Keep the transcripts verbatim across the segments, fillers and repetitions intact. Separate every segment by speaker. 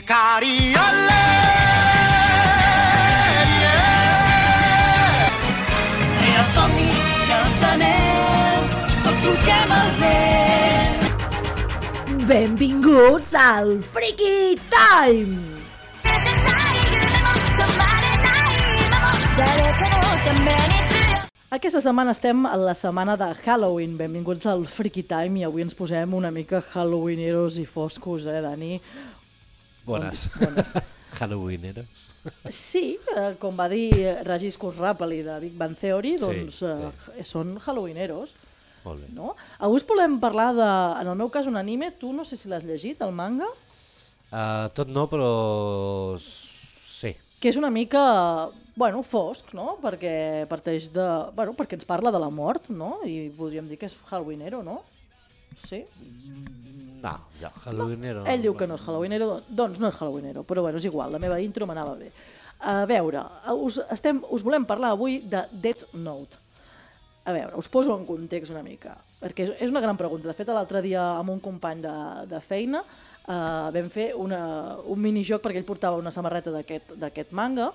Speaker 1: Cariole, yeah.
Speaker 2: I els somnis i els anells tots solquem el vent.
Speaker 3: Benvinguts al Freaky Time! Aquesta setmana estem a la setmana de Halloween. Benvinguts al Freaky Time i avui ens posem una mica halloweeneros i foscos, eh, Dani?
Speaker 4: Bones.
Speaker 3: Bones.
Speaker 4: Halloweeneros.
Speaker 3: Sí, eh, com va dir Regis Kurrapali de Big Bang Theory, doncs
Speaker 4: sí,
Speaker 3: eh,
Speaker 4: sí.
Speaker 3: són halloweeneros.
Speaker 4: Molt bé.
Speaker 3: No? Avui us volem parlar de, en el meu cas, un anime. Tu no sé si l'has llegit, el manga?
Speaker 4: Uh, tot no, però sí.
Speaker 3: Que és una mica, bueno, fosc, no? Perquè parteix de, bueno, perquè ens parla de la mort, no? I podríem dir que és halloweenero, no? Sí?
Speaker 4: No, ja, halloweenero...
Speaker 3: No. Ell diu que no és halloweenero, doncs no és halloweenero, però bueno, és igual, la meva intro m'anava bé. A veure, us, estem, us volem parlar avui de Death Note. A veure, us poso en context una mica, perquè és, és una gran pregunta. De fet, l'altre dia amb un company de, de feina Uh, vam fer una, un minijoc perquè ell portava una samarreta d'aquest manga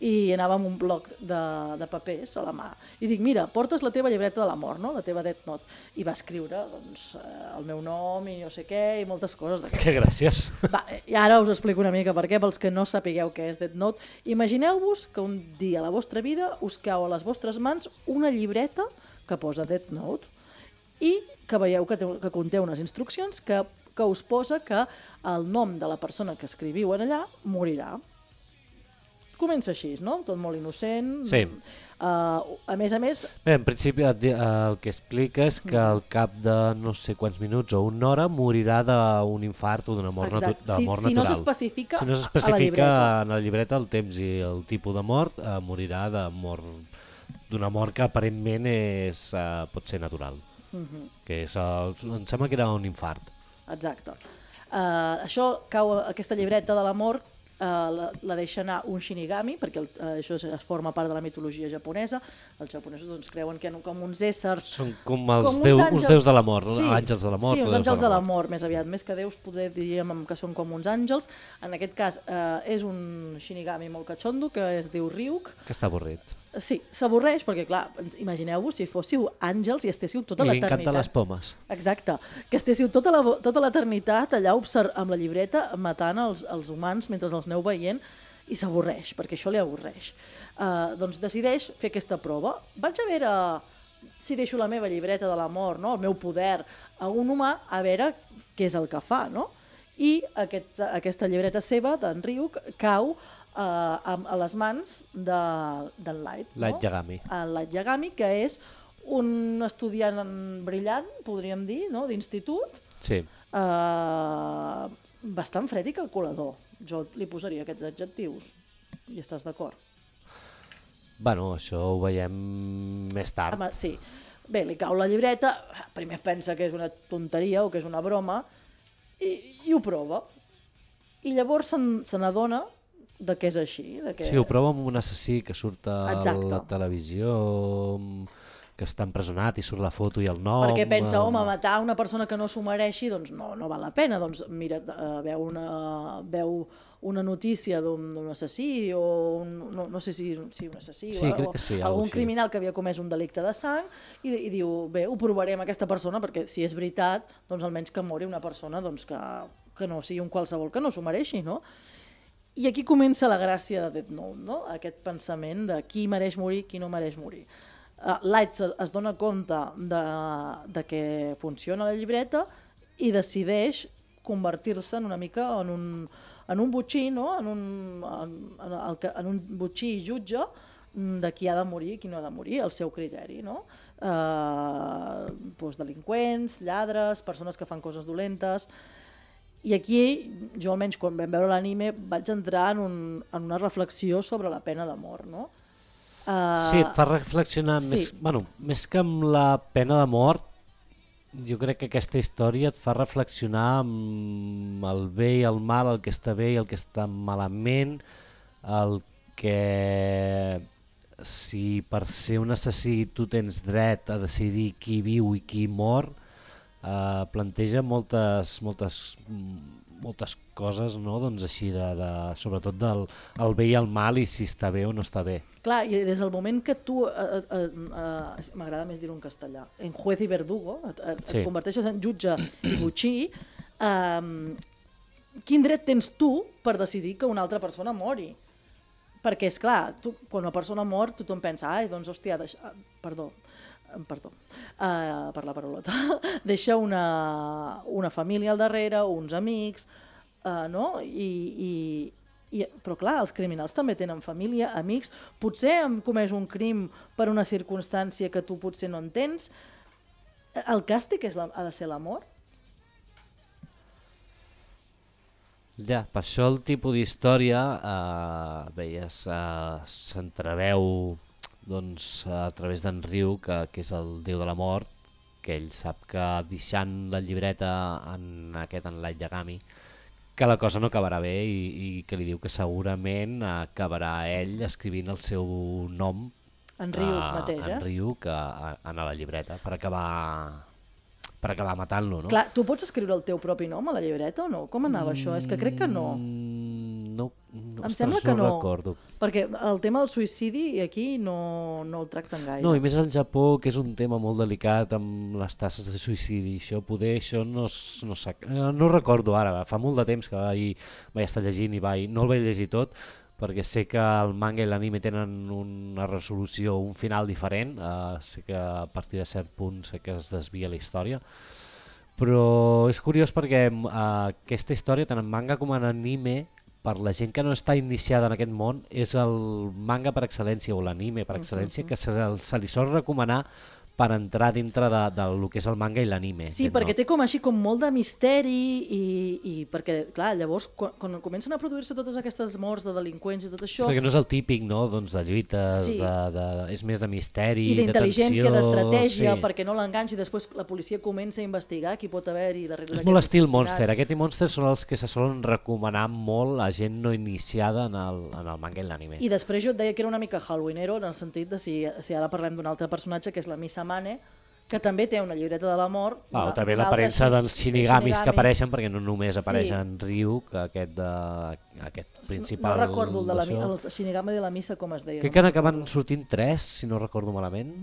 Speaker 3: i anava amb un bloc de, de papers a la mà. I dic, mira, portes la teva llibreta de la mort, no? La teva Death Note. I va escriure doncs, el meu nom i no sé què i moltes coses d'aquestes.
Speaker 4: Que graciós.
Speaker 3: Va, i ara us explico una mica per què, pels que no sapigueu què és Death Note. Imagineu-vos que un dia a la vostra vida us cau a les vostres mans una llibreta que posa Death Note i que veieu que, té, que conté unes instruccions que que us posa que el nom de la persona que escriviu en allà morirà. Comença així, no? Tot molt innocent.
Speaker 4: Sí.
Speaker 3: Uh, a més a més...
Speaker 4: Bé, en principi el, el que explica és que al cap de no sé quants minuts o una hora morirà d'un infart o d'una mort, natu de
Speaker 3: si,
Speaker 4: mort
Speaker 3: si
Speaker 4: natural.
Speaker 3: No s'especifica
Speaker 4: si no s'especifica en la llibreta el temps i el tipus de mort, eh, morirà de mort d'una mort que aparentment és, eh, pot ser natural. Uh -huh. Que és, eh, em sembla que era un infart.
Speaker 3: Exacte. Uh, això cau, aquesta llibreta de la mort uh, la, la deixa anar un Shinigami, perquè el, uh, això es forma part de la mitologia japonesa. Els japonesos doncs, creuen que com uns éssers...
Speaker 4: Són com els
Speaker 3: com
Speaker 4: déus,
Speaker 3: uns,
Speaker 4: uns déus de la mort,
Speaker 3: sí,
Speaker 4: àngels de la mort.
Speaker 3: Sí, uns
Speaker 4: àngels
Speaker 3: àngels de la mort, més aviat. Més que déus, poder diríem que són com uns àngels. En aquest cas uh, és un Shinigami molt catxondo que es diu Ryuk.
Speaker 4: Que està avorrit.
Speaker 3: Sí, s'avorreix perquè, clar, imagineu-vos si fóssiu àngels i estéssiu tota l'eternitat.
Speaker 4: I li encanten les pomes.
Speaker 3: Exacte, que estéssiu tota la, tota l'eternitat allà amb la llibreta matant els, els humans mentre els aneu veient i s'avorreix, perquè això li avorreix. Uh, doncs decideix fer aquesta prova. Vaig a veure si deixo la meva llibreta de la mort, no? El meu poder, a un humà, a veure què és el que fa, no? I aquest, aquesta llibreta seva, d'en Ryuk, cau Uh, a, a les mans d'en de, Light,
Speaker 4: Light
Speaker 3: no?
Speaker 4: Yagami.
Speaker 3: El Light Yagami, que és un estudiant brillant, podríem dir, no? D'institut,
Speaker 4: sí.
Speaker 3: uh, bastant fred i calculador. Jo li posaria aquests adjectius. Hi estàs d'acord?
Speaker 4: Bueno, això ho veiem més tard.
Speaker 3: Home, sí. Bé, li cau la llibreta, primer pensa que és una tonteria o que és una broma, i, i ho prova. I llavors se n'adona de què és així. De què...
Speaker 4: Sí, ho prova amb un assassí que surt a
Speaker 3: Exacte.
Speaker 4: la televisió, que està empresonat i surt la foto i el nom.
Speaker 3: Perquè pensa, home, matar una persona que no s'ho mereixi, doncs no, no val la pena. Doncs mira, uh, veu, una, veu una notícia d'un assassí o un, no, no sé si, si un assassí
Speaker 4: sí,
Speaker 3: o,
Speaker 4: crec que sí,
Speaker 3: algun
Speaker 4: així.
Speaker 3: criminal que havia comès un delicte de sang i, i diu, bé, ho provaré amb aquesta persona perquè si és veritat, doncs almenys que mori una persona doncs, que, que no sigui un qualsevol que no s'ho mereixi, no? I aquí comença la gràcia de Death Note, no? Aquest pensament de qui mereix morir, qui no mereix morir. Uh, Light es, es dona compte de, de que funciona la llibreta i decideix convertir-se en una mica en un, en un botxí, no? en, un, en, en, en un botxí jutge de qui ha de morir i qui no ha de morir, el seu criteri. No? Uh, doncs delinqüents, lladres, persones que fan coses dolentes... I aquí, jo almenys quan vam veure l'anime, vaig entrar en, un, en una reflexió sobre la pena de mort, no? Uh,
Speaker 4: sí, et fa reflexionar,
Speaker 3: sí.
Speaker 4: més, bueno, més que amb la pena de mort, jo crec que aquesta història et fa reflexionar amb el bé i el mal, el que està bé i el que està malament, el que si per ser un assassí tu tens dret a decidir qui viu i qui mor, Uh, planteja moltes, moltes, moltes coses, no? Doncs així, de, de, sobretot del el bé i el mal i si està bé o no està bé.
Speaker 3: Clar, i des del moment que tu, eh, eh, eh, m'agrada més dir-ho en castellà, en juez i verdugo, et, et, sí. et converteixes en jutge i botxí, eh, quin dret tens tu per decidir que una altra persona mori? Perquè, és clar, tu, quan una persona mor, tothom pensa, ai, doncs, hòstia, deixa... perdó, perdó, uh, per la parolota, deixa una, una família al darrere, uns amics, uh, no? I, i, i, però clar, els criminals també tenen família, amics, potser han comès un crim per una circumstància que tu potser no entens. El càstig és la, ha de ser l'amor?
Speaker 4: Ja, per això el tipus d'història, eh, veies, eh, s'entreveu doncs, a través d'en Riu, que, que és el déu de la mort, que ell sap que deixant la llibreta en aquest en Light Yagami, que la cosa no acabarà bé i, i que li diu que segurament acabarà ell escrivint el seu nom
Speaker 3: en Riu uh, mateix, eh?
Speaker 4: En Riu, que a, a la llibreta, per acabar... per acabar matant-lo, no?
Speaker 3: Clar, tu pots escriure el teu propi nom a la llibreta o no? Com anava mm, això? És que crec que no.
Speaker 4: No, no,
Speaker 3: em
Speaker 4: ostres,
Speaker 3: sembla que
Speaker 4: no
Speaker 3: no,
Speaker 4: recordo.
Speaker 3: Perquè el tema del suïcidi aquí no, no el tracten gaire.
Speaker 4: No, i més al Japó, que és un tema molt delicat amb les tasses de suïcidi, això poder, això no, no, no, no recordo ara, fa molt de temps que vaig, vaig estar llegint i vaig, no el vaig llegir tot, perquè sé que el manga i l'anime tenen una resolució, un final diferent, uh, sé que a partir de cert punt sé que es desvia la història, però és curiós perquè uh, aquesta història, tant en manga com en anime, per la gent que no està iniciada en aquest món, és el manga per excel·lència o l'anime per excel·lència, uh-huh. que se, se li sol recomanar per entrar dintre de, de lo que és el manga i l'anime.
Speaker 3: Sí, perquè no? Té com així com molt de misteri i, i perquè, clar, llavors quan, quan comencen a produir-se totes aquestes morts de delinqüents i tot això...
Speaker 4: Sí, perquè no és el típic, no?, doncs de lluites, sí. de, de, és més de misteri,
Speaker 3: i d'intel·ligència, d'estratègia,
Speaker 4: sí.
Speaker 3: perquè no l'enganxi i després la policia comença a investigar qui pot haver-hi darrere.
Speaker 4: És molt estil Monster, aquest i Monster són els que se solen recomanar molt a gent no iniciada en el, en el manga i l'anime.
Speaker 3: I després jo et deia que era una mica halloweenero en el sentit de si, si ara parlem d'un altre personatge que és la Misa Mane, que també té una llibreta de l'amor.
Speaker 4: Ah, també l'aparença dels shinigamis que apareixen, perquè no només apareix en sí. Ryu, que aquest, de, aquest principal...
Speaker 3: No recordo el, de la, el shinigami de la missa com es deia.
Speaker 4: Crec no? que n'acaben sortint tres, si no recordo malament.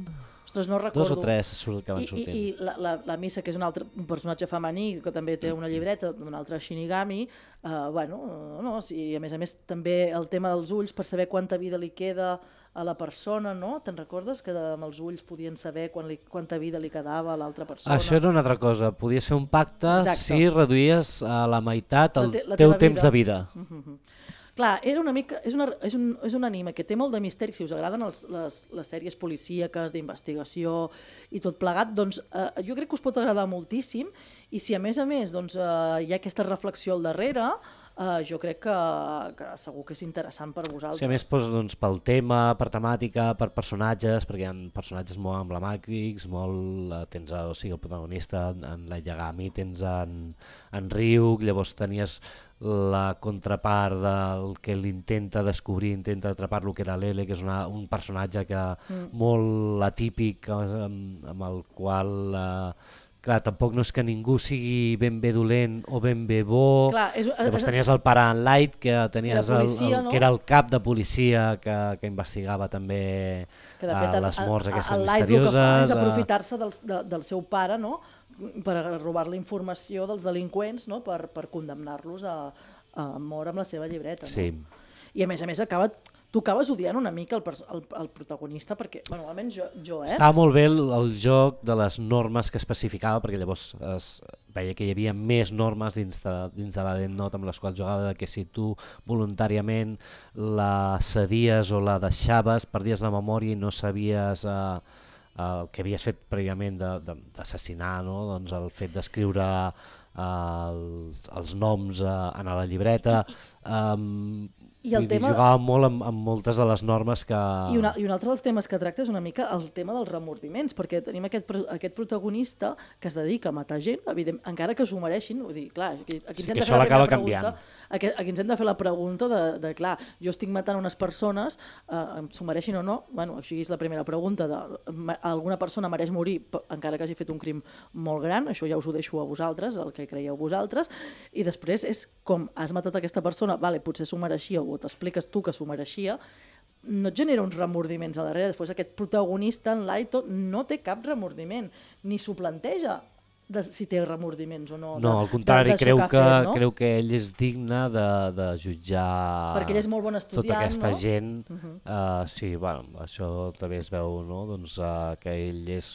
Speaker 3: Ostres, no recordo.
Speaker 4: Dos o tres acaben
Speaker 3: I,
Speaker 4: sortint.
Speaker 3: I, i la, la, la missa, que és un altre un personatge femení, que també té una llibreta d'un altre shinigami, uh, bueno, no, sí, a més a més també el tema dels ulls, per saber quanta vida li queda a la persona, no? Te'n recordes que amb els ulls podien saber quan li, quanta vida li quedava a l'altra persona?
Speaker 4: Això era una altra cosa, podies fer un pacte Exacte. si reduïes a la meitat el la te, la teu temps vida. de vida. Uh-huh.
Speaker 3: Clar, era una mica, és, una, és, un, és un anime que té molt de misteri, si us agraden els, les, les sèries policíaques, d'investigació i tot plegat, doncs eh, jo crec que us pot agradar moltíssim, i si a més a més doncs, eh, hi ha aquesta reflexió al darrere, Uh, jo crec que, que segur que és interessant per vosaltres.
Speaker 4: Sí, a més doncs, doncs, pel tema, per temàtica, per personatges, perquè hi ha personatges molt emblemàtics, molt, uh, tens o sigui, el protagonista en Light Yagami, tens en, en Ryuk, llavors tenies la contrapart del que l'intenta descobrir, intenta atrapar-lo, que era l'Ele, que és una, un personatge que mm. molt atípic, amb, amb el qual... Uh, Clar, tampoc no és que ningú sigui ben bé dolent o ben bé bo. Clar, és, llavors és, tenies el pare en Light, que, tenies que, policia, el, el, no? que era el cap de policia que, que investigava també que de fet, a les morts el, aquestes el Light misterioses. El que fa
Speaker 3: és aprofitar-se del, de, del seu pare, no? Per robar la informació dels delinqüents, no? per, per condemnar-los a, a mort amb la seva llibreta. No?
Speaker 4: Sí.
Speaker 3: I a més a més acaba... Tu acabes odiant una mica el, el, el protagonista perquè, bueno, almenys jo, jo eh?
Speaker 4: Estava molt bé el, el joc de les normes que especificava, perquè llavors es veia que hi havia més normes dins de, dins de la Death Note amb les quals jugava, que si tu voluntàriament la cedies o la deixaves, perdies la memòria i no sabies eh, el que havies fet prèviament d'assassinar, no? Doncs el fet d'escriure eh, els, els noms eh, en la llibreta... Eh,
Speaker 3: I el
Speaker 4: Vull dir,
Speaker 3: tema...
Speaker 4: jugava molt amb, amb moltes de les normes que...
Speaker 3: I, una, I un altre dels temes que tracta és una mica el tema dels remordiments, perquè tenim aquest, aquest protagonista que es dedica a matar gent, evident, encara que s'ho mereixin, vull dir, clar, aquí, aquí
Speaker 4: Sí,
Speaker 3: ens hem
Speaker 4: que
Speaker 3: de
Speaker 4: això
Speaker 3: fer la
Speaker 4: l'acaba
Speaker 3: primera pregunta,
Speaker 4: canviant.
Speaker 3: aquí, aquí ens hem de fer la pregunta de, de clar, jo estic matant unes persones, eh, s'ho mereixin o no, bueno, així és la primera pregunta, de, alguna persona mereix morir encara que hagi fet un crim molt gran, això ja us ho deixo a vosaltres, el que creieu vosaltres, i després és com has matat aquesta persona, vale, potser s'ho mereixia, o t'expliques tu que s'ho mereixia, no et genera uns remordiments a darrere. Després aquest protagonista, en Laito, no té cap remordiment, ni s'ho planteja de si té remordiments o no.
Speaker 4: No,
Speaker 3: de,
Speaker 4: al contrari,
Speaker 3: de, de
Speaker 4: creu,
Speaker 3: que,
Speaker 4: que,
Speaker 3: fet, no?
Speaker 4: creu que ell és digne de, de jutjar
Speaker 3: perquè ell és molt bon estudiant,
Speaker 4: tota aquesta
Speaker 3: no?
Speaker 4: gent.
Speaker 3: Uh-huh.
Speaker 4: uh, sí, bueno, això també es veu, no? Doncs, uh, que ell és,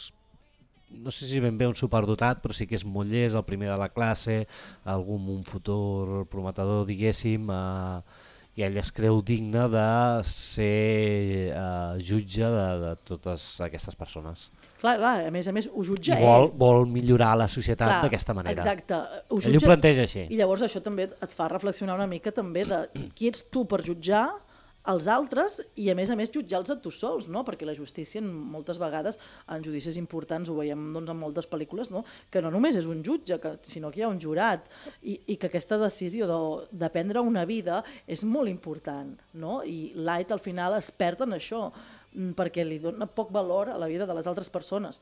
Speaker 4: no sé si ben bé un superdotat, però sí que és molt llest, el primer de la classe, algun un futur prometedor, diguéssim, uh, i ell es creu digne de ser uh, jutge de, de totes aquestes persones.
Speaker 3: Clar, clar, a més a més ho jutja
Speaker 4: I vol,
Speaker 3: ell.
Speaker 4: vol millorar la societat
Speaker 3: Clar,
Speaker 4: d'aquesta manera.
Speaker 3: Exacte. Ho
Speaker 4: Ell ho planteja així.
Speaker 3: I llavors això també et fa reflexionar una mica també de qui ets tu per jutjar els altres i a més a més jutjar-los a tu sols, no? Perquè la justícia moltes vegades en judicis importants ho veiem doncs, en moltes pel·lícules, no? Que no només és un jutge, que, sinó que hi ha un jurat i, i que aquesta decisió de, de prendre una vida és molt important, no? I Light al final es perd en això perquè li dona poc valor a la vida de les altres persones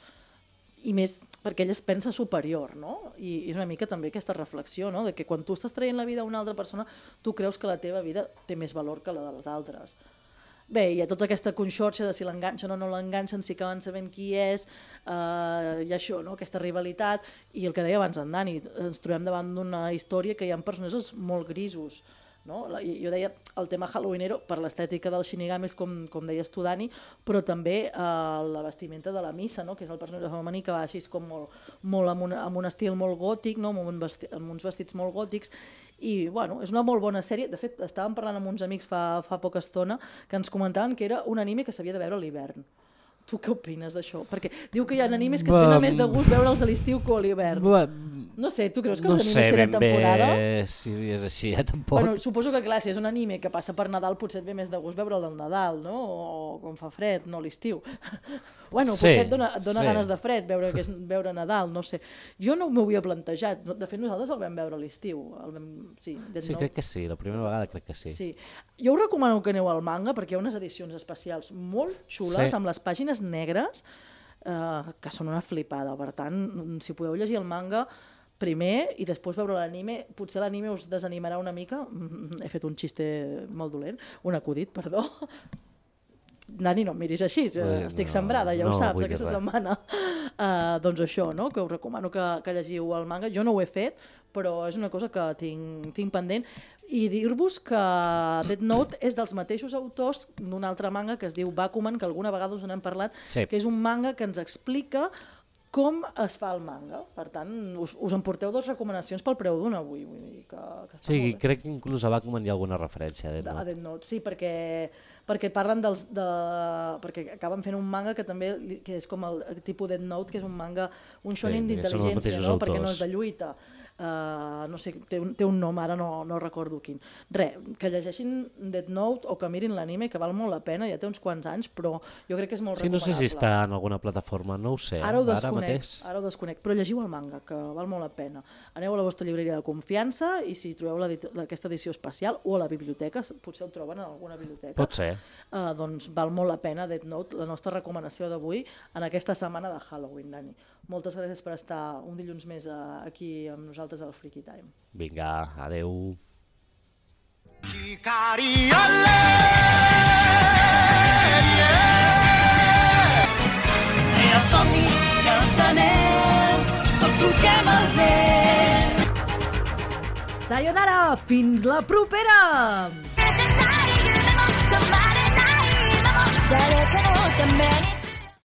Speaker 3: i més perquè ell es pensa superior, no? I és una mica també aquesta reflexió, no? De que quan tu estàs traient la vida a una altra persona tu creus que la teva vida té més valor que la dels altres. Bé, hi ha tota aquesta conxorxa de si l'enganxen o no l'enganxen, si acaben sabent qui és, eh, i això, no? Aquesta rivalitat, i el que deia abans en Dani, ens trobem davant d'una història que hi ha personatges molt grisos, no? Jo deia el tema halloweenero per l'estètica dels shinigamis, com, com deies tu, Dani, però també eh, la vestimenta de la Missa, no? Que és el personatge femení que va així com molt, molt amb, un, amb un estil molt gòtic, no? amb, un vesti, amb uns vestits molt gòtics, i bueno, és una molt bona sèrie. De fet, estàvem parlant amb uns amics fa, fa poca estona que ens comentaven que era un anime que s'havia de veure a l'hivern. Tu què opines d'això? Perquè diu que hi ha animes que et venen més de gust veure'ls a l'estiu que a l'hivern. No sé, tu creus que els
Speaker 4: no
Speaker 3: animes
Speaker 4: sé,
Speaker 3: tenen temporada?
Speaker 4: No sé ben bé si és així, eh, tampoc.
Speaker 3: Bueno, suposo que clar, si és un anime que passa per Nadal potser et ve més de gust veure'l al Nadal, no? O quan fa fred, no a l'estiu. Bueno,
Speaker 4: sí,
Speaker 3: potser et dona, et dona
Speaker 4: sí.
Speaker 3: ganes de fred veure, que és, veure Nadal, no sé. Jo no m'ho havia plantejat. De fet, nosaltres el vam veure a l'estiu. Vam... Sí,
Speaker 4: sí crec que sí, la primera vegada crec que sí.
Speaker 3: sí. Jo us recomano que aneu al manga perquè hi ha unes edicions especials molt xules, sí. amb les pàgines negres, eh, que són una flipada. Per tant, si podeu llegir el manga primer i després veure l'anime, potser l'anime us desanimarà una mica. He fet un xiste molt dolent, un acudit, perdó. Dani, no em miris així,
Speaker 4: Ui,
Speaker 3: estic
Speaker 4: no,
Speaker 3: sembrada, ja
Speaker 4: no,
Speaker 3: ho saps,
Speaker 4: vull
Speaker 3: aquesta
Speaker 4: dir res.
Speaker 3: setmana. Uh, doncs això, no? Que us recomano que, que llegiu el manga. Jo no ho he fet, però és una cosa que tinc, tinc pendent. I dir-vos que Death Note és dels mateixos autors d'un altre manga que es diu Bakuman, que alguna vegada us n'hem parlat,
Speaker 4: sí.
Speaker 3: que és un manga que ens explica com es fa el manga. Per tant, us, us emporteu dues recomanacions pel preu d'un avui. Vull dir que, que està
Speaker 4: sí,
Speaker 3: molt bé.
Speaker 4: crec que inclús a Bakuman hi ha alguna referència a Death Note.
Speaker 3: A Death Note, sí, perquè, perquè parlen dels... De, perquè acaben fent un manga que també que és com el, el tipus Death Note, que és un manga, un shonen
Speaker 4: Sí,
Speaker 3: d'intel·ligència, no? Perquè no és
Speaker 4: autors.
Speaker 3: de lluita. Uh, no sé, té un, té un nom, ara no, no recordo quin. Re, que llegeixin Death Note o que mirin l'anime, que val molt la pena, ja té uns quants anys, però jo crec que és molt
Speaker 4: Sí, no
Speaker 3: recomanable.
Speaker 4: sé si està en alguna plataforma, no ho sé.
Speaker 3: Ara ho
Speaker 4: Ara
Speaker 3: desconec,
Speaker 4: mateix.
Speaker 3: ara ho desconec, però llegiu el manga, que val molt la pena. Aneu a la vostra llibreria de confiança i si trobeu la, aquesta edició especial o a la biblioteca, potser el troben en alguna biblioteca.
Speaker 4: Pot ser.
Speaker 3: Uh, doncs val molt la pena Death Note, la nostra recomanació d'avui en aquesta setmana de Halloween, Dani. Moltes gràcies per estar un dilluns més uh, aquí amb nosaltres al Freaky Time.
Speaker 4: Vinga, adeu.
Speaker 2: I els somnis i els anells, tots solquem el vent.
Speaker 3: Sayonara! Fins la propera!
Speaker 1: 誰かのために